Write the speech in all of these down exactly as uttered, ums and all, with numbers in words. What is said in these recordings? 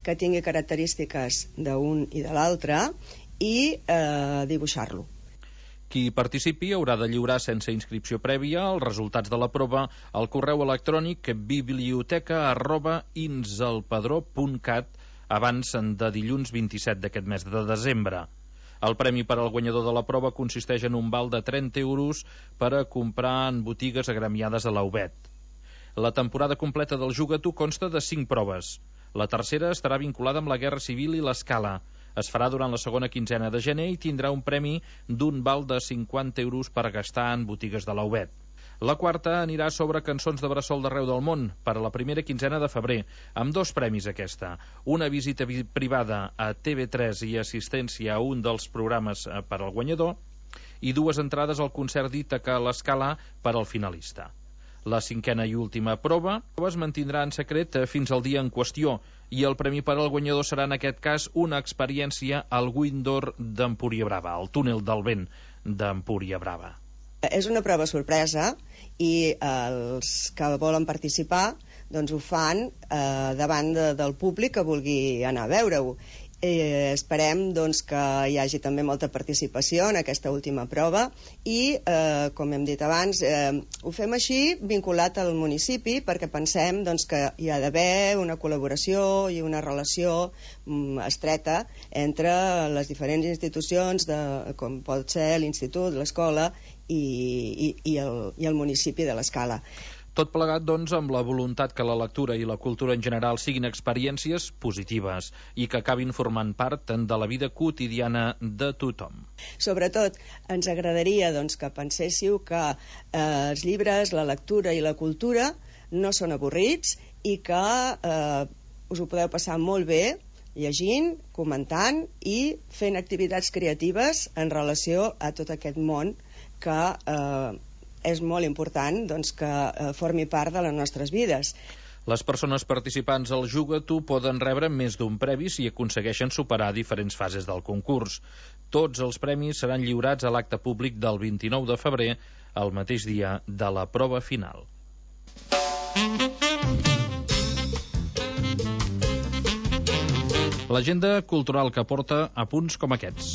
que tingui característiques d'un i de l'altre i eh, dibuixar-lo. Qui participi haurà de lliurar sense inscripció prèvia els resultats de la prova al correu electrònic biblioteca arroba inselpadró punt cat abans de dilluns vint-i-set d'aquest mes de desembre. El premi per al guanyador de la prova consisteix en un val de trenta euros per a comprar en botigues agremiades a la U B E T. La temporada completa del Juga-t'ho consta de cinc proves. La tercera estarà vinculada amb la Guerra Civil i l'escala. Es farà durant la segona quinzena de gener i tindrà un premi d'un val de cinquanta euros per gastar en botigues de la U B E T. La quarta anirà sobre cançons de bressol d'arreu del món per a la primera quinzena de febrer, amb dos premis aquesta. Una visita privada a T V tres i assistència a un dels programes per al guanyador i dues entrades al concert d'Ítaca a l'Escala per al finalista. La cinquena i última prova es mantindrà en secret fins al dia en qüestió i el premi per al guanyador serà en aquest cas una experiència al Windor d'Empúria Brava, al túnel del vent d'Empúria Brava. És una prova sorpresa i els que volen participar doncs ho fan eh, davant de, del públic que vulgui anar a veure-ho. Eh, esperem doncs, que hi hagi també molta participació en aquesta última prova i, eh, com hem dit abans, eh, ho fem així vinculat al municipi perquè pensem doncs, que hi ha d'haver una col·laboració i una relació mm, estreta entre les diferents institucions de, com pot ser l'Institut, l'escola i, i, i, el, i el municipi de l'Escala. Tot plegat, doncs, amb la voluntat que la lectura i la cultura en general siguin experiències positives i que acabin formant part de la vida quotidiana de tothom. Sobretot, ens agradaria doncs, que penséssiu que eh, els llibres, la lectura i la cultura no són avorrits i que eh, us ho podeu passar molt bé llegint, comentant i fent activitats creatives en relació a tot aquest món que eh, és molt important doncs, que eh, formi part de les nostres vides. Les persones participants al Juga-t'ho poden rebre més d'un premi si aconsegueixen superar diferents fases del concurs. Tots els premis seran lliurats a l'acte públic del vint-i-nou de febrer, el mateix dia de la prova final. L'agenda cultural que porta a punts com aquests.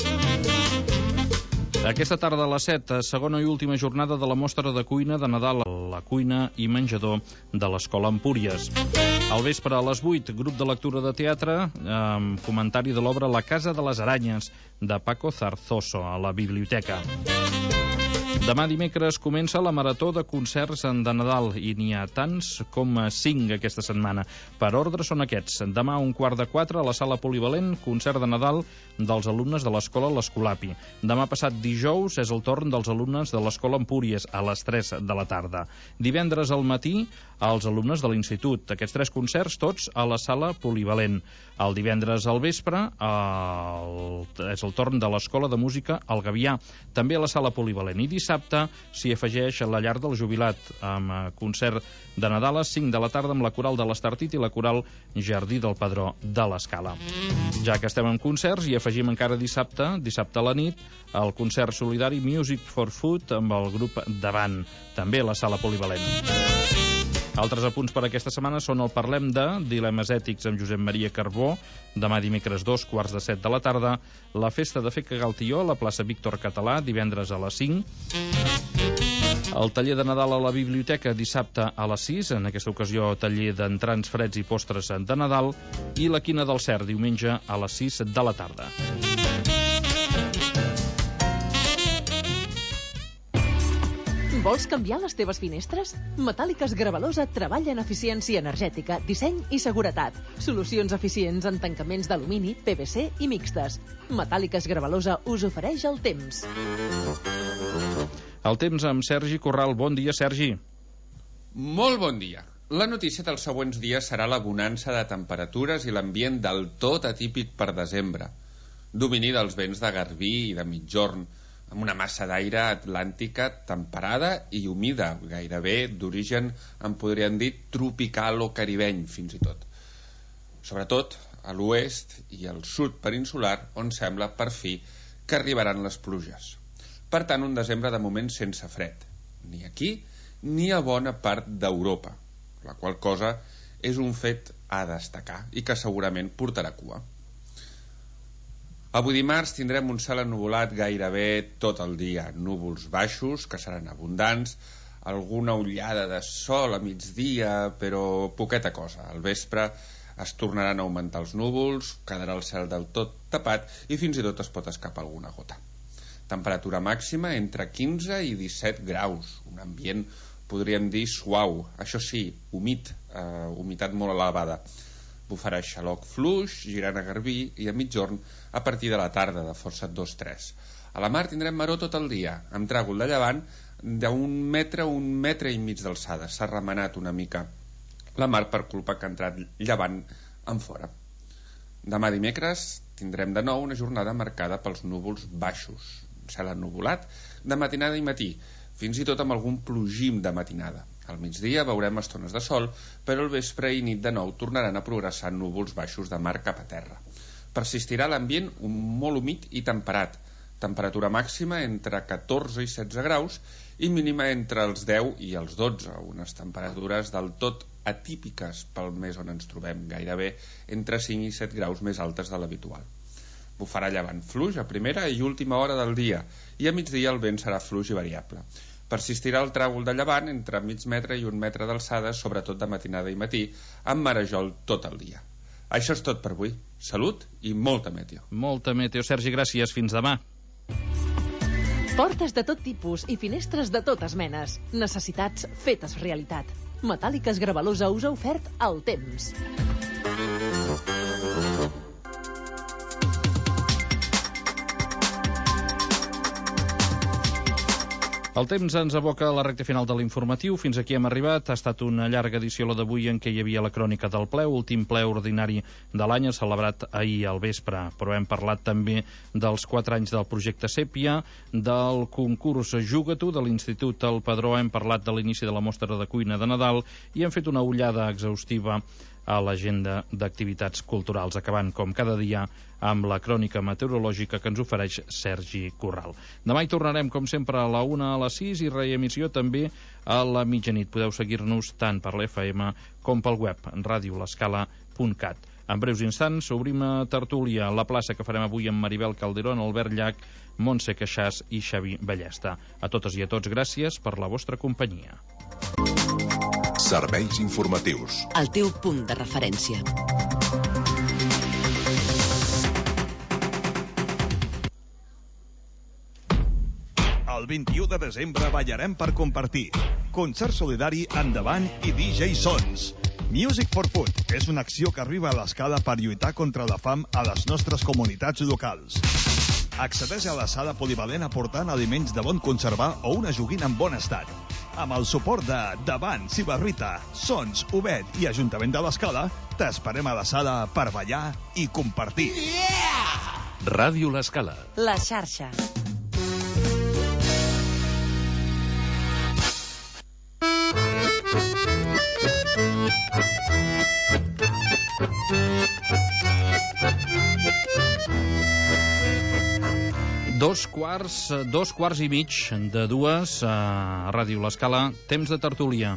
Aquesta tarda a les set, segona i última jornada de la mostra de cuina de Nadal a la cuina i menjador de l'Escola Empúries. Al vespre a les vuit, grup de lectura de teatre amb comentari de l'obra La Casa de les Aranyes de Paco Zarzoso a la biblioteca. Demà dimecres comença la marató de concerts de Nadal i n'hi ha tants com cinc aquesta setmana. Per ordre són aquests. Demà a un quart de quatre a la sala polivalent, concert de Nadal dels alumnes de l'escola l'Escolapi. Demà passat dijous és el torn dels alumnes de l'escola Empúries a les tres de la tarda. Divendres al matí als alumnes de l'institut. Aquests tres concerts tots a la sala polivalent. El divendres al vespre el... és el torn de l'escola de música El Gavià, també a la sala polivalent. I dissabte s'hi afegeix a la llar del jubilat amb concert de Nadal a cinc de la tarda amb la coral de l'Estartit i la coral Jardí del Padró de l'Escala. Ja que estem en concerts, hi afegim encara dissabte, dissabte a la nit, el concert solidari Music for Food amb el grup Davant, també a la sala polivalent. Altres apunts per aquesta setmana són el Parlem de, Dilemes ètics amb Josep Maria Carbó, demà dimecres dos quarts de set de la tarda, la festa de Fer Cagar el Tió a la plaça Víctor Català, divendres a les cinc, el taller de Nadal a la biblioteca dissabte a les sis, en aquesta ocasió taller d'entrants freds i postres de Nadal, i la Quina del Cert, diumenge a les sis de la tarda. Vols canviar les teves finestres? Metàl·liques Gravalosa treballa en eficiència energètica, disseny i seguretat. Solucions eficients en tancaments d'alumini, P V C i mixtes. Metàl·liques Gravalosa us ofereix el temps. El temps amb Sergi Corral. Bon dia, Sergi. Molt bon dia. La notícia dels següents dies serà la bonança de temperatures i l'ambient del tot atípic per desembre. Domini dels vents de garbí i de migjorn, amb una massa d'aire atlàntica temperada i humida, gairebé d'origen, en podríem dir, tropical o caribeny, fins i tot. Sobretot a l'oest i al sud peninsular, on sembla, per fi, que arribaran les pluges. Per tant, un desembre de moment sense fred, ni aquí ni a bona part d'Europa, la qual cosa és un fet a destacar i que segurament portarà cua. Avui dimarts tindrem un cel ennuvolat gairebé tot el dia, núvols baixos que seran abundants, alguna ullada de sol a migdia, però poqueta cosa. Al vespre es tornaran a augmentar els núvols, quedarà el cel del tot tapat i fins i tot es pot escapar alguna gota. Temperatura màxima entre quinze i disset graus, un ambient, podríem dir, suau, això sí, humit, eh, humitat molt elevada. Bufarà xaloc fluix, girant a garbí i a mitjorn a partir de la tarda de força dos tres. A la mar tindrem maror tot el dia, amb tràgol de llevant d'un metre a un metre i mig d'alçada. S'ha remenat una mica la mar per culpa que ha entrat llevant en fora. Demà dimecres tindrem de nou una jornada marcada pels núvols baixos, cel ennuvolat de matinada i matí, fins i tot amb algun plogim de matinada. Al migdia veurem estones de sol, però al vespre i nit de nou tornaran a progressar núvols baixos de mar cap a terra. Persistirà l'ambient molt humit i temperat, temperatura màxima entre catorze i setze graus i mínima entre els deu i els dotze, unes temperatures del tot atípiques pel mes on ens trobem, gairebé entre cinc i set graus més altes de l'habitual. Bufarà llevant fluix a primera i última hora del dia i a migdia el vent serà fluix i variable. Persistirà el tràgol de llevant entre mig metre i un metre d'alçada, sobretot de matinada i matí, amb marejol tot el dia. Això és tot per avui. Salut i molta meteo. Molta meteo. Sergi, gràcies. Fins demà. Portes de tot tipus i finestres de totes menes. Necessitats fetes realitat. Metàl·liques Gravelosa us ha ofert el temps. El temps ens aboca a la recta final de l'informatiu. Fins aquí hem arribat. Ha estat una llarga edició la d'avui en què hi havia la crònica del ple, últim ple ordinari de l'any, celebrat ahir al vespre. Però hem parlat també dels quatre anys del projecte Sèpia, del concurs Juga-t'ho de l'Institut El Padró, hem parlat de l'inici de la mostra de cuina de Nadal i hem fet una ullada exhaustiva a l'agenda d'activitats culturals, acabant com cada dia amb la crònica meteorològica que ens ofereix Sergi Corral. Demà hi tornarem com sempre a la una, a les sis i reemissió també a la mitjanit. Podeu seguir-nos tant per l'F M com pel web ràdio l'escala punt cat. En breus instants obrim a tertúlia la plaça que farem avui amb Maribel Calderón, Albert Llach, Montse Queixàs i Xavi Ballesta. A totes i a tots, gràcies per la vostra companyia. Serveis informatius. El teu punt de referència. El vint-i-u de desembre ballarem per compartir. Concert solidari Endavant i D J Sons. Music for Food és una acció que arriba a l'escala per lluitar contra la fam a les nostres comunitats locals. Accedeix a la sala polivalent aportant aliments de bon conservar o una joguina en bon estat. Amb el suport de Davant, Cibarrita, Sons, Obed i Ajuntament de l'Escala, t'esperem a la sala per ballar i compartir. Yeah! Ràdio l'Escala. La xarxa. Dos quarts, dos quarts i mig de dues a Ràdio l'Escala, temps de tertúlia.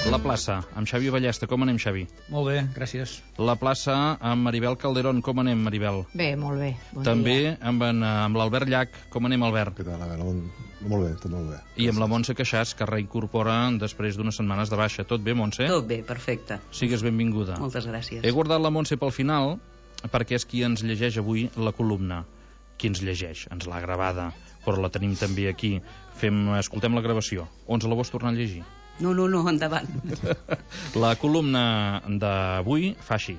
La plaça, amb Xavi Ballesta. Com anem, Xavi? Molt bé, gràcies. La plaça amb Maribel Calderón. Com anem, Maribel? Bé, molt bé. Bon També dia. amb, en, amb l'Albert Llach. Com anem, Albert? Què tal, Albert? Molt bé, tot molt bé. I amb la Montse Queixàs, que reincorpora després d'unes setmanes de baixa. Tot bé, Montse? Tot bé, perfecte. Sigues benvinguda. Moltes gràcies. He guardat la Montse pel final perquè és qui ens llegeix avui la columna. Qui ens llegeix? Ens l'ha gravada, però la tenim també aquí. Fem, escoltem la gravació. O ens la vols tornar a llegir? No, no, no, endavant. La columna d'avui fa així.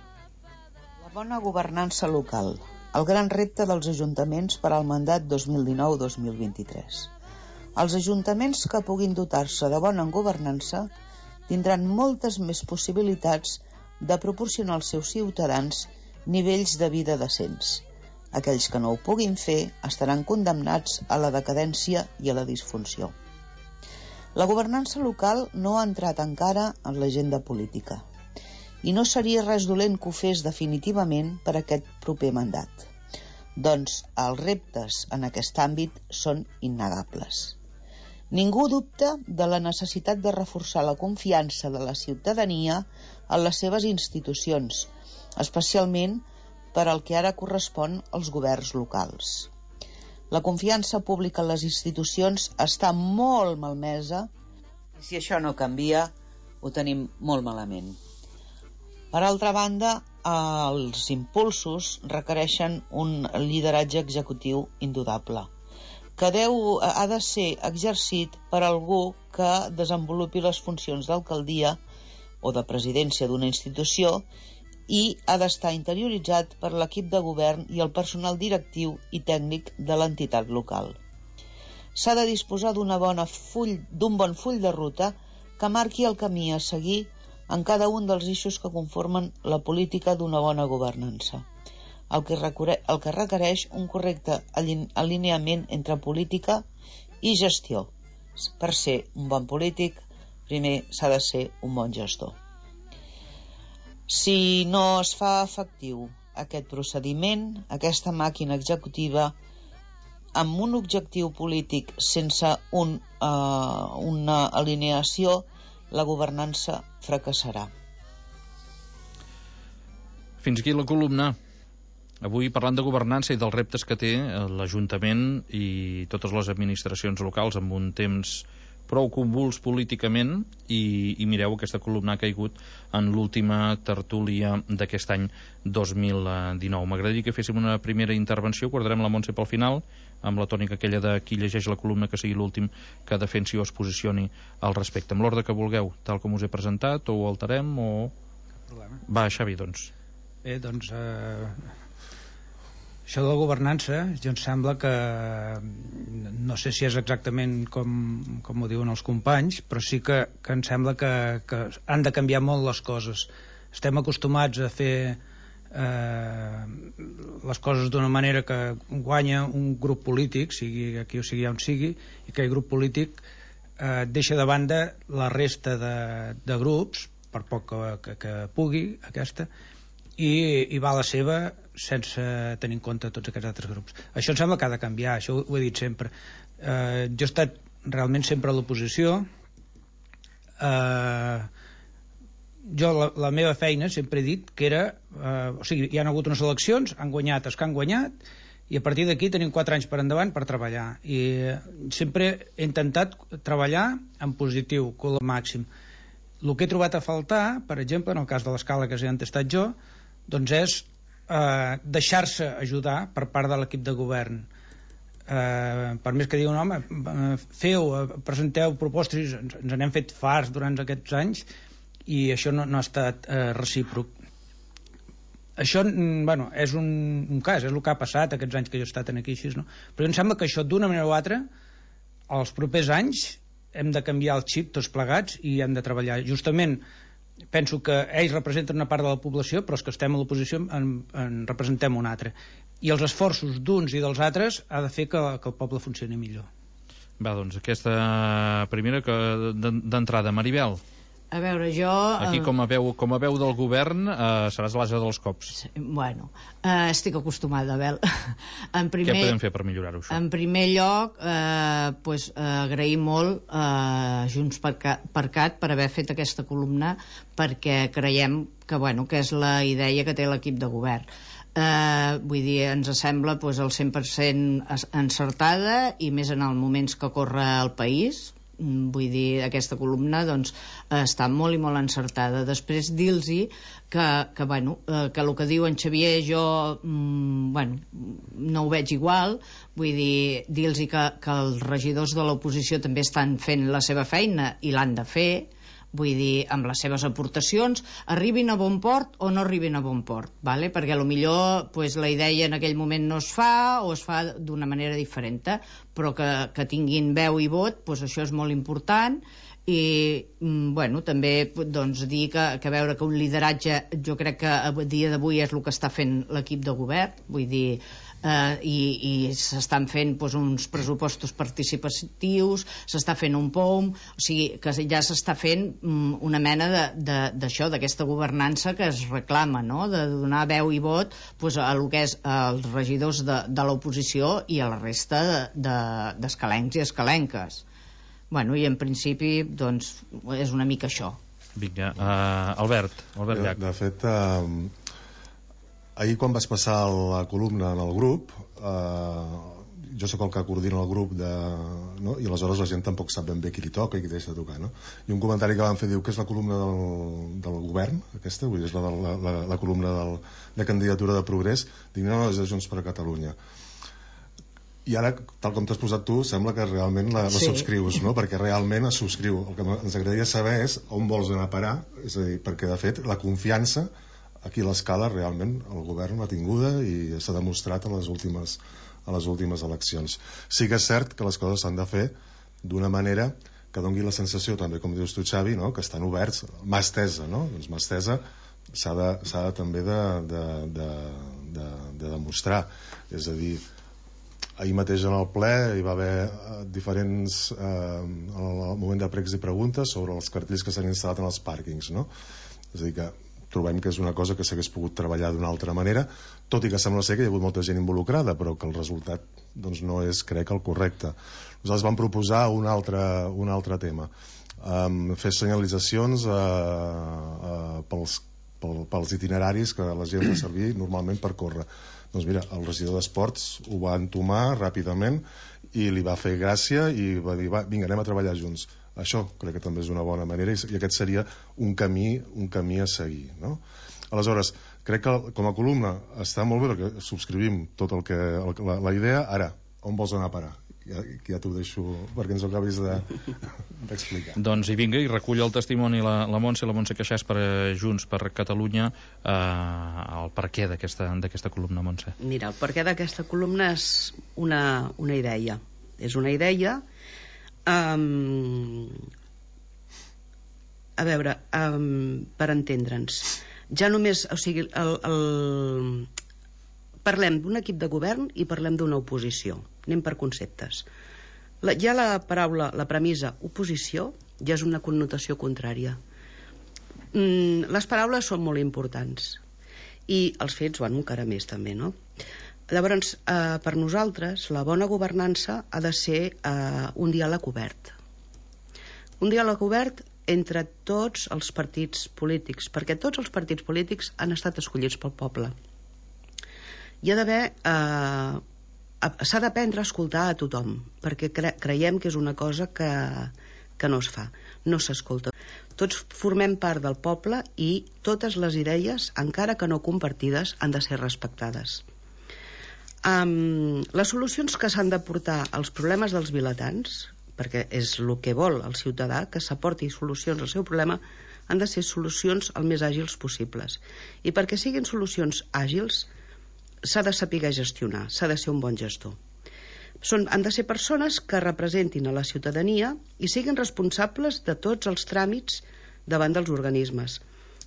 La bona governança local. El gran repte dels ajuntaments per al mandat dos mil dinou dos mil vint-i-tres. Els ajuntaments que puguin dotar-se de bona governança tindran moltes més possibilitats de proporcionar als seus ciutadans nivells de vida decents. Aquells que no ho puguin fer estaran condemnats a la decadència i a la disfunció. La governança local no ha entrat encara en l'agenda política i no seria res dolent que ho fes definitivament per aquest proper mandat. Doncs els reptes en aquest àmbit són innegables. Ningú dubta de la necessitat de reforçar la confiança de la ciutadania en les seves institucions, especialment per al que ara correspon als governs locals. La confiança pública en les institucions està molt malmesa i si això no canvia ho tenim molt malament. Per altra banda, els impulsos requereixen un lideratge executiu indudable, que deu, ha de ser exercit per algú que desenvolupi les funcions d'alcaldia o de presidència d'una institució i ha d'estar interioritzat per l'equip de govern i el personal directiu i tècnic de l'entitat local. S'ha de disposar d'una bona full, d'un bon full de ruta que marqui el camí a seguir en cada un dels eixos que conformen la política d'una bona governança, el que, requereix, el que requereix un correcte alineament entre política i gestió. Per ser un bon polític, primer s'ha de ser un bon gestor. Si no es fa efectiu aquest procediment, aquesta màquina executiva, amb un objectiu polític sense un, uh, una alineació, la governança fracassarà. Fins aquí la columna. Avui parlant de governança i dels reptes que té l'Ajuntament i totes les administracions locals amb un temps prou convuls políticament i, i mireu, aquesta columna ha caigut en l'última tertúlia d'aquest any dos mil dinou. M'agradaria que féssim una primera intervenció, guardarem la Montse pel final, amb la tònica aquella de qui llegeix la columna que sigui l'últim que defensi o es posicioni al respecte. Amb l'ordre que vulgueu, tal com us he presentat, o ho alterem o... Cap problema. Va, Xavi, doncs. Bé, doncs... Eh... Això de la governança, jo em sembla que no sé si és exactament com, com ho diuen els companys, però sí que, que em sembla que, que han de canviar molt les coses. Estem acostumats a fer eh, les coses d'una manera que guanya un grup polític, sigui aquí o sigui on sigui, i que el grup polític eh, deixa de banda la resta de, de grups, per poc que, que, que pugui aquesta, i, i va a la seva sense tenir en compte tots aquests altres grups. Això em sembla que ha de canviar, això ho he dit sempre. Eh, jo he estat realment sempre a l'oposició. Eh, jo la, la meva feina sempre he dit que era... Eh, o sigui, hi han hagut unes eleccions, han guanyat els que han guanyat, i a partir d'aquí tenim quatre anys per endavant per treballar. I eh, sempre he intentat treballar en positiu, com el màxim. El que he trobat a faltar, per exemple, en el cas de l'escala que he entestat jo, doncs és eh, deixar-se ajudar per part de l'equip de govern. Eh, per més que diuen, home, feu, presenteu propostes, ens, ens n'hem fet farts durant aquests anys i això no, no ha estat eh, recíproc. Això, bueno, és un, un cas, és el que ha passat aquests anys que jo he estat aquí així, no? Però em sembla que això d'una manera o altra, els propers anys hem de canviar el xip tots plegats i hem de treballar. Justament penso que ells representen una part de la població, però els que estem a l'oposició en, en representem una altra. I els esforços d'uns i dels altres ha de fer que, que el poble funcioni millor. Va, doncs, aquesta primera que d'entrada. Maribel. A veure, jo... Aquí, com a veu, com a veu del govern, eh, seràs l'ase dels cops. Bueno, eh, estic acostumada, Abel. En primer, Què podem fer per millorar-ho, això? En primer lloc, eh, pues, eh, agrair molt a eh, Junts per Cat per haver fet aquesta columna, perquè creiem que, bueno, que és la idea que té l'equip de govern. Eh, vull dir, ens sembla pues, el cent per cent encertada, i més en els moments que corre el país. Vull dir, aquesta columna doncs, està molt i molt encertada. Després dir-los que, que, bueno, que el que diu en Xavier jo mm, bueno, no ho veig igual. Vull dir, dir-los que, que els regidors de l'oposició també estan fent la seva feina i l'han de fer. Vull dir, amb les seves aportacions, arribin a bon port o no arribin a bon port, vale? Perquè potser pues, la idea en aquell moment no es fa o es fa d'una manera diferent, però que, que tinguin veu i vot, pues, això és molt important. I bueno, també doncs, dir que, que veure que un lideratge jo crec que a dia d'avui és el que està fent l'equip de govern, vull dir, eh, i, i s'estan fent doncs, uns pressupostos participatius, s'està fent un P O M, o sigui que ja s'està fent um, una mena d'això, d'aquesta governança que es reclama, no? De donar veu i vot doncs, a lo que és als regidors de, de l'oposició i a la resta d'escalencs de, de, i escalenques. Bueno, i en principi doncs, és una mica això. Vinga, uh, Albert, Albert Llach. De fet, uh, ahir quan vas passar la columna en el grup, uh, jo sóc el que coordina el grup de, no? I aleshores la gent tampoc sap ben bé qui li toca i qui deixa de tocar, no? I un comentari que van fer diu que és la columna del, del govern, aquesta, vull dir, és la, la, la, la columna del, de candidatura de progrés. Dic, no, no, és de Junts per Catalunya. I ara, tal com t'has posat tu, sembla que realment la, la sí. subscrius, no? Perquè realment es subscriu. El que ens agradaria saber és on vols anar a parar, és a dir, perquè de fet la confiança aquí a l'escala realment el govern l'ha tinguda i s'ha demostrat a les últimes, a les últimes eleccions. Sí que és cert que les coses s'han de fer d'una manera que doni la sensació, també com dius tu, Xavi, no? Que estan oberts, mà estesa, no? Doncs mà estesa s'ha de, s'ha de també de, de, de, de, de demostrar. És a dir, ahir mateix en el ple hi va haver diferents eh, al moment de pregs i preguntes sobre els cartells que s'han instal·lat en els pàrquings, no? És a dir que trobem que és una cosa que s'hagués pogut treballar d'una altra manera, tot i que sembla ser que hi ha hagut molta gent involucrada, però que el resultat doncs, no és, crec, el correcte. Nosaltres vam proposar un altre, un altre tema, um, fer senyalitzacions uh, uh, pels, pel, pels itineraris que la gent va servir normalment per córrer. Doncs mira, el regidor d'Esports ho va entomar ràpidament i li va fer gràcia i va dir, va, vinga, anem a treballar junts. Això crec que també és una bona manera i aquest seria un camí, un camí a seguir, no? Aleshores, crec que com a columna està molt bé perquè subscrivim tot el que, el, la, la idea. Ara, on vols anar a parar? Ja, ja t'ho deixo perquè ens ho acabis d'explicar. De, doncs i vinga, i recull el testimoni la, la Montse, la Montse Queixàs per Junts per Catalunya, eh, el perquè d'aquesta columna, Montse. Mira, el perquè d'aquesta columna és una, una idea. És una idea um, a veure, um, per entendre'ns. Ja només, o sigui, el, el, parlem d'un equip de govern i parlem d'una oposició. Anem per conceptes. La, ja la paraula, la premissa oposició, ja és una connotació contrària. Mm, les paraules són molt importants i els fets, bueno, encara més també, no? Llavors, eh, per nosaltres, la bona governança ha de ser eh, un diàleg obert. Un diàleg obert entre tots els partits polítics, perquè tots els partits polítics han estat escollits pel poble. Hi ha d'haver... Eh, s'ha d'aprendre a escoltar a tothom, perquè cre creiem que és una cosa que, que no es fa, no s'escolta. Tots formem part del poble i totes les idees, encara que no compartides, han de ser respectades. Um, les solucions que s'han de portar als problemes dels vilatans, perquè és el que vol el ciutadà, que s'aporti solucions al seu problema, han de ser solucions el més àgils possibles. I perquè siguin solucions àgils, s'ha de saber gestionar, s'ha de ser un bon gestor. Són, han de ser persones que representin a la ciutadania i siguin responsables de tots els tràmits davant dels organismes.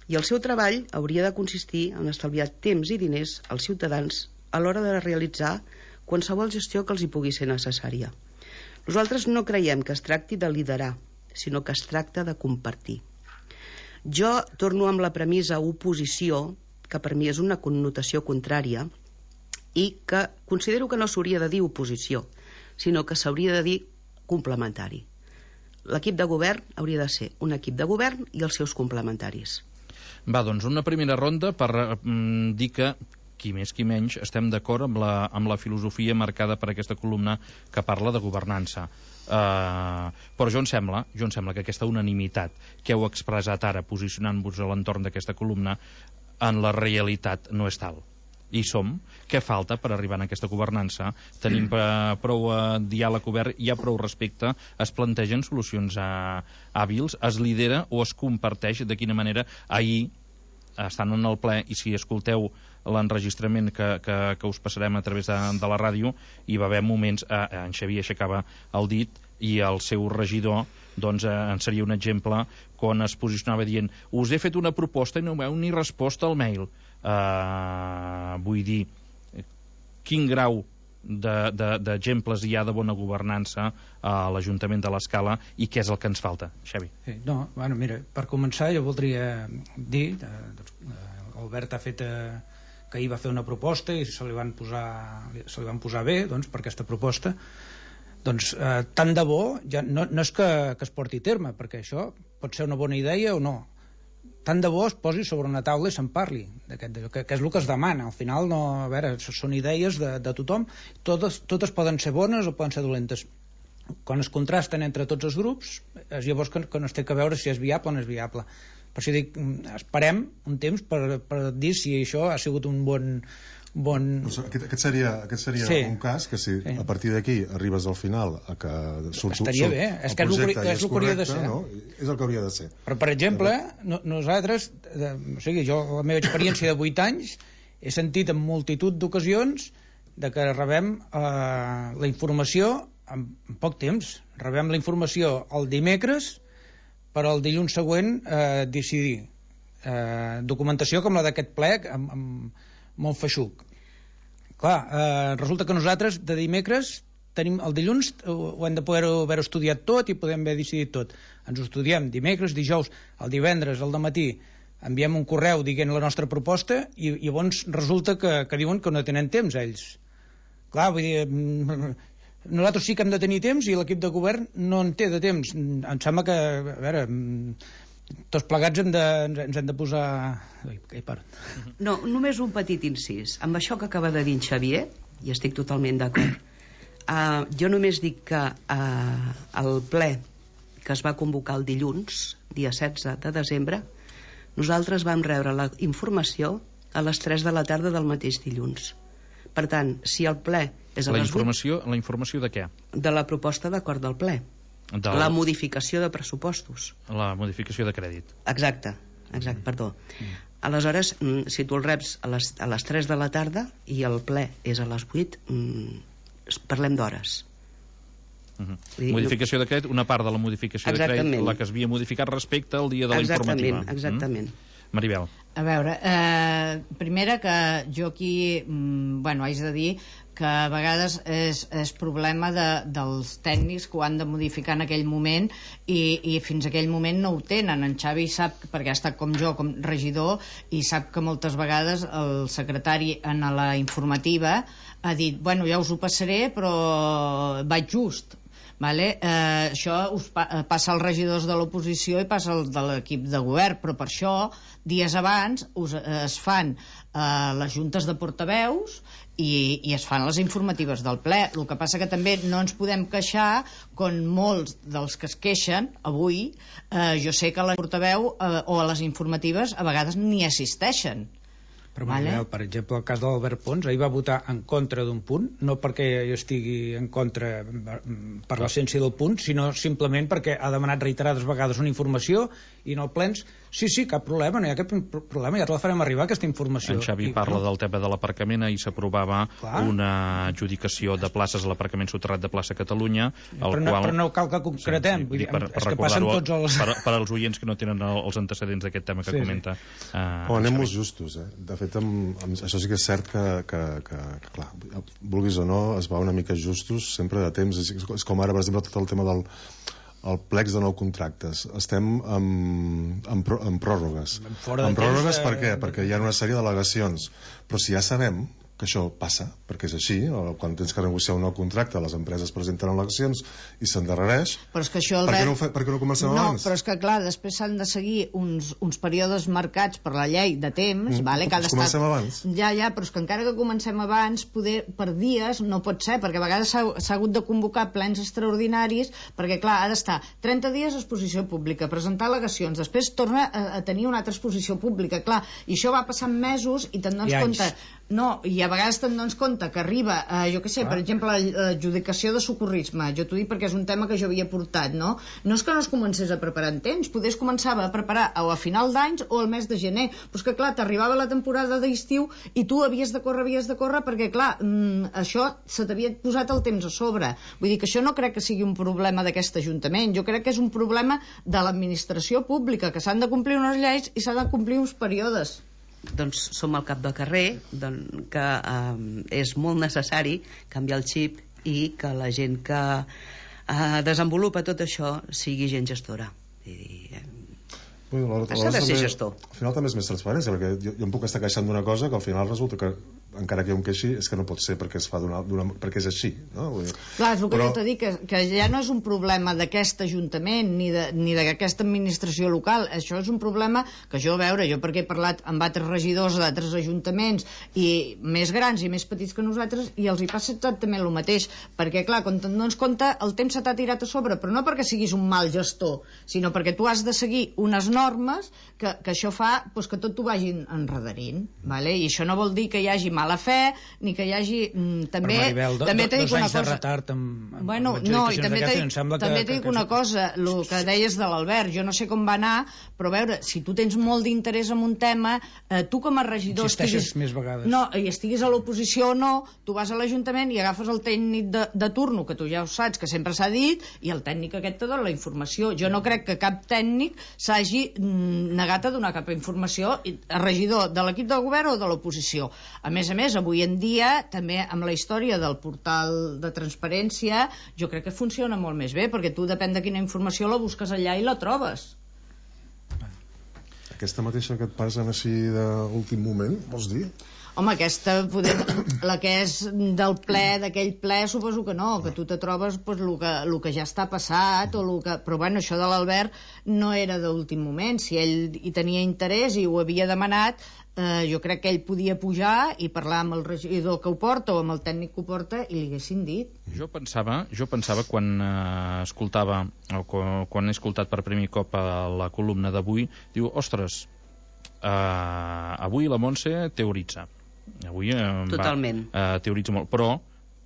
I el seu treball hauria de consistir en estalviar temps i diners als ciutadans a l'hora de realitzar qualsevol gestió que els hi pugui ser necessària. Nosaltres no creiem que es tracti de liderar, sinó que es tracta de compartir. Jo torno amb la premissa oposició, que per mi és una connotació contrària, i que considero que no s'hauria de dir oposició, sinó que s'hauria de dir complementari. L'equip de govern hauria de ser un equip de govern i els seus complementaris. Va, doncs una primera ronda per mm, dir que qui més qui menys estem d'acord amb, la, amb la filosofia marcada per aquesta columna que parla de governança. Uh, però jo em sembla, jo em sembla que aquesta unanimitat que heu expressat ara posicionant-vos a l'entorn d'aquesta columna en la realitat no és tal. I som. Què falta per arribar a aquesta governança? Tenim prou diàleg obert, hi ha prou respecte, es plantegen solucions hàbils, es lidera o es comparteix de quina manera. Ahir, estant en el ple, i si escolteu l'enregistrament que, que, que us passarem a través de, de la ràdio, hi va haver moments, eh, en Xavier aixecava el dit i el seu regidor doncs eh, en seria un exemple quan es posicionava dient us he fet una proposta i no m'heu ni resposta al mail. Uh, vull dir, quin grau d'exemples de, de, hi ha de bona governança a l'Ajuntament de l'Escala i què és el que ens falta, Xavi? Sí, no, bueno, mira, per començar jo voldria dir eh, doncs, eh, Albert ha fet eh, que ahir va fer una proposta i se li van posar, se li van posar bé doncs, per aquesta proposta. Doncs eh, tant de bo, ja no, no és que, que es porti a terme, perquè això pot ser una bona idea o no, tant de bo es posi sobre una taula i se'n parli, que, que és el que es demana. Al final, no, a veure, són idees de, de tothom, totes, totes poden ser bones o poden ser dolentes. Quan es contrasten entre tots els grups, és llavors que, que no es té que veure si és viable o no és viable. Per això dic, esperem un temps per, per dir si això ha sigut un bon... bon... Aquest, aquest seria, aquest seria sí. un cas que si sí. a partir d'aquí arribes al final a que surt, estaria surt bé, és que és el que, és el que hauria de ser. No? És el que hauria de ser. Però, per exemple, no, nosaltres, de, o sigui, jo, la meva experiència de vuit anys, he sentit en multitud d'ocasions de que rebem eh, la informació en, en poc temps. Rebem la informació el dimecres per al dilluns següent eh, decidir. Eh, documentació com la d'aquest ple, amb, amb molt feixuc. Clar, eh, resulta que nosaltres de dimecres tenim el dilluns, ho hem de poder haver estudiat tot i podem haver decidit tot. Ens ho estudiem dimecres, dijous, el divendres, al dematí, enviem un correu dient la nostra proposta i, i llavors resulta que, que diuen que no tenen temps ells. Clar, vull dir, nosaltres sí que hem de tenir temps i l'equip de govern no en té de temps. Em sembla que, a veure, tots plegats hem de, ens hem de posar... Ai, ai, part. No, només un petit incís. Amb això que acaba de dir en Xavier, i estic totalment d'acord, uh, jo només dic que uh, el ple que es va convocar el dilluns, dia setze de desembre, nosaltres vam rebre la informació a les tres de la tarda del mateix dilluns. Per tant, si el ple és a la les informació, vuit... La informació de què? De la proposta d'acord del ple. Del... La modificació de pressupostos. La modificació de crèdit. Exacte, exacte, mm. perdó. Mm. Aleshores, si tu el reps a les, a les tres de la tarda i el ple és a les vuit, mm, parlem d'hores. Uh-huh. Dir, modificació de crèdit, una part de la modificació exactament. de crèdit, la que es havia modificat respecte al dia de la exactament, informativa. Exactament, mm? Maribel. A veure, eh, primera que jo aquí, mm, bueno, haig de dir que a vegades és, és problema de, dels tècnics que ho han de modificar en aquell moment i, i fins a aquell moment no ho tenen. En Xavi sap, perquè ha estat com jo, com regidor, i sap que moltes vegades el secretari en la informativa ha dit, bueno, ja us ho passaré, però vaig just. Vale? Eh, això us pa passa als regidors de l'oposició i passa al de l'equip de govern, però per això dies abans us, eh, es fan eh, les juntes de portaveus i, i es fan les informatives del ple. El que passa que també no ens podem queixar com molts dels que es queixen avui, eh, jo sé que a la portaveu eh, o a les informatives a vegades ni assisteixen. Però, vale. Per exemple, el cas de l'Albert Pons, ahir va votar en contra d'un punt, no perquè jo estigui en contra per l'essència del punt, sinó simplement perquè ha demanat reiterades vegades una informació i en el plens, sí, sí, cap problema, no hi ha cap problema, ja te la farem arribar, aquesta informació. En Xavi I, parla no? del tema de l'aparcament, ahir s'aprovava una adjudicació de places a l'aparcament soterrat de plaça Catalunya, però, no, qual... però no cal que concretem, sí, sí, dir, per, per és que passen tots els... Per, per als oients que no tenen els antecedents d'aquest tema que sí, comenta. Sí. Uh, oh, anem molt justos, eh? De fet, amb, amb, això sí que és cert que, que, que, que, clar, vulguis o no, es va una mica justos, sempre de temps. És, és com ara, per exemple, tot el tema del el plecs de nou contractes. Estem amb, amb, amb pròrrogues. Amb pròrrogues per què? Perquè hi ha una sèrie d'al·legacions. Però si ja sabem que això passa, perquè és així, quan tens que negociar un nou contracte, les empreses presenten eleccions i s'endarrereix, però és que això el per, què no fe, per què no comencem no, abans? No, però és que clar, després s'han de seguir uns, uns períodes marcats per la llei de temps, mm, vale, que ha d'estar... Comencem abans. Ja, ja, però és que encara que comencem abans, poder, per dies no pot ser, perquè a vegades s'ha hagut de convocar plens extraordinaris, perquè clar, ha d'estar trenta dies a exposició pública, presentar al·legacions, després torna a, a tenir una altra exposició pública, clar, i això va passant mesos i te'n dones compte... No, i a vegades te'n dones compte que arriba, eh, jo què sé, ah. per exemple, l'adjudicació de socorrisme, jo t'ho dic perquè és un tema que jo havia portat, no? No és que no es comencés a preparar en temps, potser es començava a preparar o a final d'anys o al mes de gener, però és que clar, t'arribava la temporada d'estiu i tu havies de córrer, havies de córrer, perquè clar, mm, això se t'havia posat el temps a sobre. Vull dir que això no crec que sigui un problema d'aquest Ajuntament, jo crec que és un problema de l'administració pública, que s'han de complir unes lleis i s'han de complir uns períodes. Doncs som al cap del carrer, doncs, que eh, és molt necessari canviar el xip i que la gent que eh, desenvolupa tot això sigui gent gestora. I, eh, S'ha de ser gestor. Al final també és més transparència, perquè jo, jo em puc estar queixant d'una cosa que al final resulta que encara que hi ha un queixi, és que no pot ser perquè es fa d'una, d'una, perquè és així, no? Clar, és el que Però... jo t'he dit, que, que ja no és un problema d'aquest Ajuntament ni de, ni d'aquesta administració local, això és un problema que jo, a veure, jo perquè he parlat amb altres regidors d'altres ajuntaments i més grans i més petits que nosaltres, i els hi passa exactament el mateix, perquè clar, quan te'n dones compte, el temps se t'ha tirat a sobre, però no perquè siguis un mal gestor, sinó perquè tu has de seguir unes normes que, que això fa pues, que tot t'ho vagin enredarint, vale? I això no vol dir que hi hagi mala fe, ni que hi hagi mm, també, Maribel, do, també do, t'he dit dos una anys de cosa retard amb, amb, bueno, amb no, i també t'he em sembla també que, t'he dit que, una que... cosa, el que deies de l'Albert, jo no sé com va anar, però a veure, si tu tens molt d'interès en un tema, eh, tu com a regidor insisteixes estiguis, més vegades no, i estiguis a l'oposició o no, tu vas a l'Ajuntament i agafes el tècnic de, de turno, que tu ja ho saps, que sempre s'ha dit, i el tècnic aquest te dona la informació. Jo no crec que cap tècnic s'hagi negat a donar cap informació a regidor de l'equip de govern o de l'oposició. A més a més, avui en dia, també amb la història del portal de transparència, jo crec que funciona molt més bé, perquè tu depèn de quina informació la busques allà i la trobes. Aquesta mateixa que et passen així d'últim moment, vols dir? Home, aquesta, poder, la que és del ple, d'aquell ple, suposo que no, que tu te trobes pues, el, que, el que ja està passat, o el que... però bueno, això de l'Albert no era d'últim moment, si ell hi tenia interès i ho havia demanat, eh, jo crec que ell podia pujar i parlar amb el regidor que ho porta o amb el tècnic que ho porta i li haguessin dit. Jo pensava, jo pensava quan eh, escoltava, o quan, quan he escoltat per primer cop a la columna d'avui, diu, ostres, eh, avui la Montse teoritza. Avui eh, Totalment. va, eh, teoritza molt, però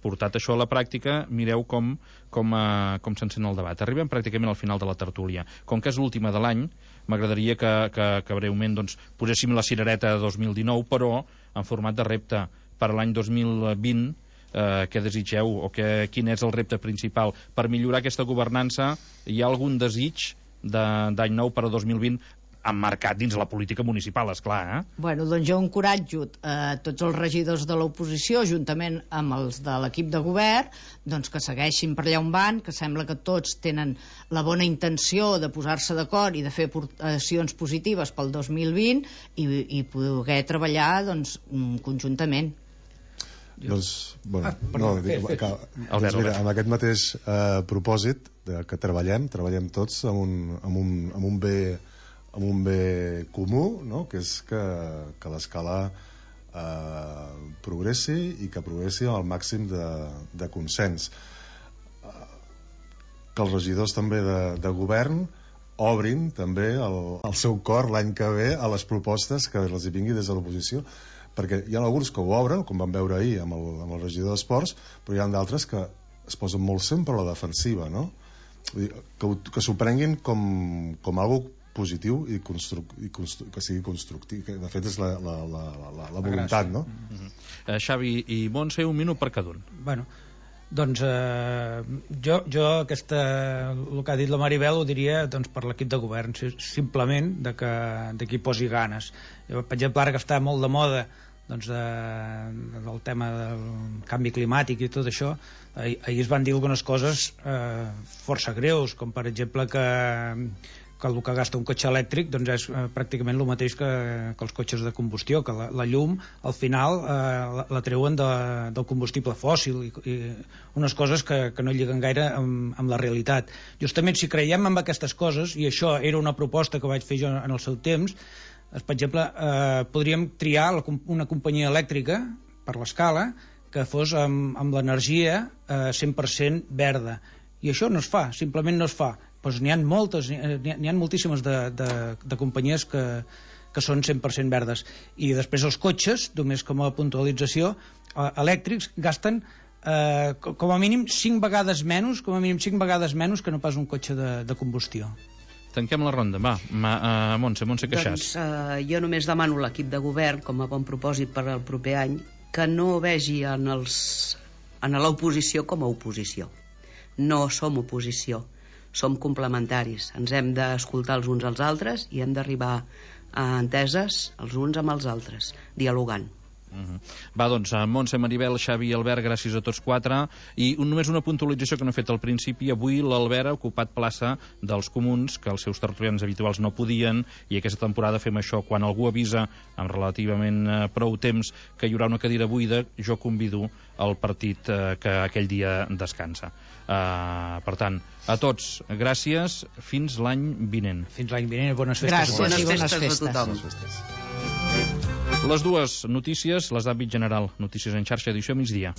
portat això a la pràctica, mireu com, com, eh, com s'encén el debat. Arribem pràcticament al final de la tertúlia. Com que és l'última de l'any, m'agradaria que, que, que breument doncs, poséssim la cirereta de dos mil dinou, però en format de repte per a l'any dos mil vint. Eh, què desitgeu o que, quin és el repte principal per millorar aquesta governança? Hi ha algun desig d'any nou per a dos mil vint emmarcat dins la política municipal, esclar, eh? Bueno, doncs jo encoratjo eh, tots els regidors de l'oposició, juntament amb els de l'equip de govern, doncs que segueixin per allà on van, que sembla que tots tenen la bona intenció de posar-se d'acord i de fer aportacions positives pel dos mil vint i, i poder treballar doncs, conjuntament. Doncs, bueno, ah, perdó, no, dic, que, doncs mira, amb aquest mateix eh, propòsit de que treballem, treballem tots amb un, amb un, amb un bé amb un bé comú, no? Que és que, que l'escala eh, progressi i que progressi al màxim de, de consens. Eh, que els regidors també de, de govern obrin també el, el seu cor l'any que ve a les propostes que els hi vingui des de l'oposició, perquè hi ha alguns que ho obren, com vam veure ahir amb el, amb el regidor d'Esports, però hi ha d'altres que es posen molt sempre a la defensiva, no? Vull dir, que, que s'ho prenguin com, com algo positiu i, constru i constru que sigui constructiu, que de fet és la, la, la, la, la voluntat, no? Mm-hmm. eh, Xavi i Montse, un minut per cada un. Bueno, doncs eh, jo, jo aquesta, el que ha dit la Maribel ho diria doncs, per l'equip de govern, simplement de que, de que hi posi ganes. Jo, per exemple, ara que està molt de moda doncs, de, del tema del canvi climàtic i tot això, ahir, ahir es van dir algunes coses eh, força greus, com per exemple que que el que gasta un cotxe elèctric doncs és eh, pràcticament el mateix que, que els cotxes de combustió, que la, la llum al final eh, la, la treuen de, del combustible fòssil i, i unes coses que, que no lliguen gaire amb, amb la realitat. Justament si creiem en aquestes coses, i això era una proposta que vaig fer jo en el seu temps, és, per exemple, eh, podríem triar la, una companyia elèctrica per l'escala que fos amb, amb l'energia eh, cent per cent verda, i això no es fa, simplement no es fa. Doncs n'hi ha moltes, n'hi ha moltíssimes de, de, de companyies que, que són cent per cent verdes, i després els cotxes, només com a puntualització, elèctrics gasten eh, com a mínim cinc vegades menys com a mínim cinc vegades menys que no pas un cotxe de, de combustió. Tanquem la ronda, va, Ma, uh, Montse, Montse Queixàs. Doncs uh, jo només demano a l'equip de govern, com a bon propòsit per al proper any, que no vegi en els en l'oposició com a oposició. No som oposició, som complementaris, ens hem d'escoltar els uns als altres i hem d'arribar a enteses els uns amb els altres, dialogant. Uh-huh. Va, doncs, Montse, Maribel, Xavi i Albert, gràcies a tots quatre. I un, només una puntualització que no he fet al principi. Avui l'Albert ha ocupat plaça dels comuns, que els seus tertulians habituals no podien, i aquesta temporada fem això. Quan algú avisa amb relativament eh, prou temps que hi haurà una cadira buida, jo convido el partit eh, que aquell dia descansa. Uh, per tant, a tots, gràcies. Fins l'any vinent. Fins l'any vinent, bones festes. Gràcies bones i bones festes festes. a tothom. Bones festes. Les dues notícies, les d'àmbit general, notícies en xarxa, edició migdia.